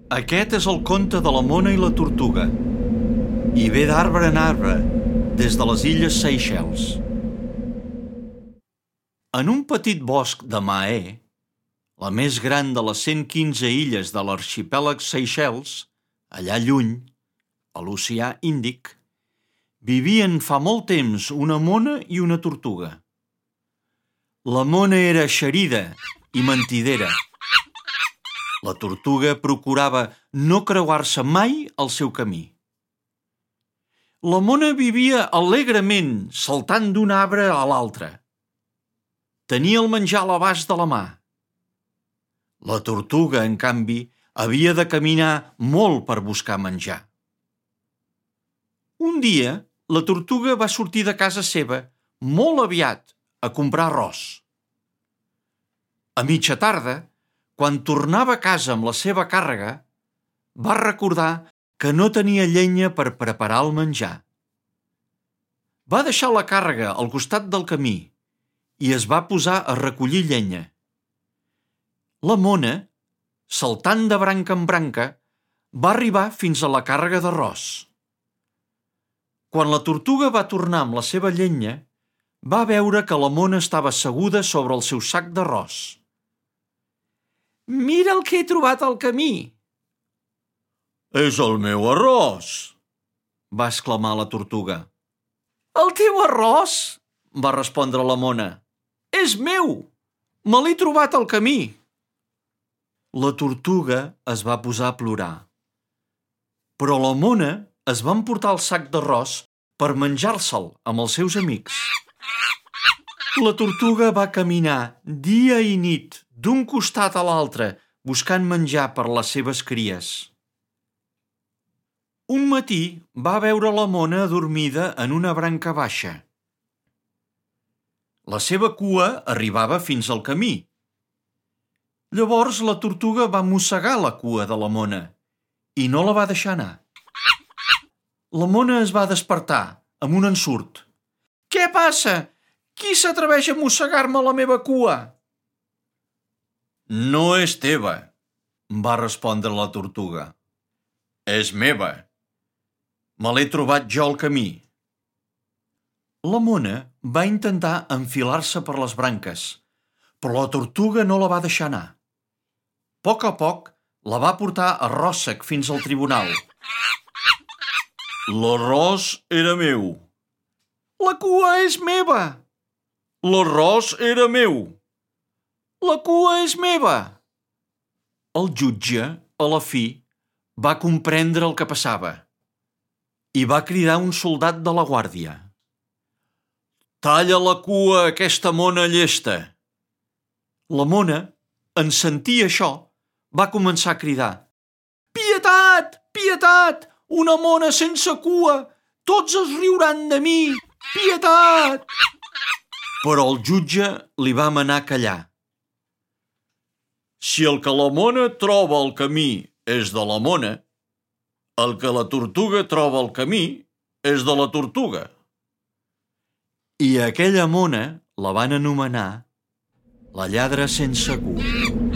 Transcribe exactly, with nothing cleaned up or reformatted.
Aquest és el conte de la mona i la tortuga, i ve d'arbre en arbre, des de les illes Seychelles. En un petit bosc de Mahé, la més gran de les cent quinze illes de l'arxipèlag Seychelles, allà lluny, a l'oceà Índic, vivien fa molt temps una mona i una tortuga. La mona era eixerida i mentidera. La tortuga procurava no creuar-se mai el seu camí. La mona vivia alegrement saltant d'un arbre a l'altre. Tenia el menjar a l'abast de la mà. La tortuga, en canvi, havia de caminar molt per buscar menjar. Un dia, la tortuga va sortir de casa seva molt aviat a comprar arròs. A mitja tarda, quan tornava a casa amb la seva càrrega, va recordar que no tenia llenya per preparar el menjar. Va deixar la càrrega al costat del camí i es va posar a recollir llenya. La mona, saltant de branca en branca, va arribar fins a la càrrega d'arròs. Quan la tortuga va tornar amb la seva llenya, va veure que la mona estava asseguda sobre el seu sac d'arròs. «Mira el que he trobat al camí!» «És el meu arròs!» va exclamar la tortuga. «El teu arròs?» va respondre la mona. «És meu! Me l'he trobat al camí!» La tortuga es va posar a plorar. Però la mona es va emportar el sac d'arròs per menjar-se'l amb els seus amics. La tortuga va caminar dia i nit d'un costat a l'altre buscant menjar per les seves cries. Un matí va veure la mona adormida en una branca baixa. La seva cua arribava fins al camí. Llavors la tortuga va mossegar la cua de la mona i no la va deixar anar. La mona es va despertar amb un ensurt. «Què passa? Qui s'atreveix a mossegar-me la meva cua?» «No és teva», va respondre la tortuga. «És meva. Me l'he trobat jo al camí». La mona va intentar enfilar-se per les branques, però la tortuga no la va deixar anar. A poc a poc la va portar a ròssec fins al tribunal. «L'arròs era meu». «La cua és meva». «L'arròs era meu». «La cua és meva». El jutge, a la fi, va comprendre el que passava i va cridar un soldat de la guàrdia. «Talla la cua a aquesta mona llesta». La mona, en sentir això, va començar a cridar. «Pietat! Pietat! Una mona sense cua! Tots es riuran de mi! Pietat!» Però el jutge li va manar callar. «Si el que la mona troba al camí és de la mona, el que la tortuga troba al camí és de la tortuga». I aquella mona la van anomenar la lladra sense cua.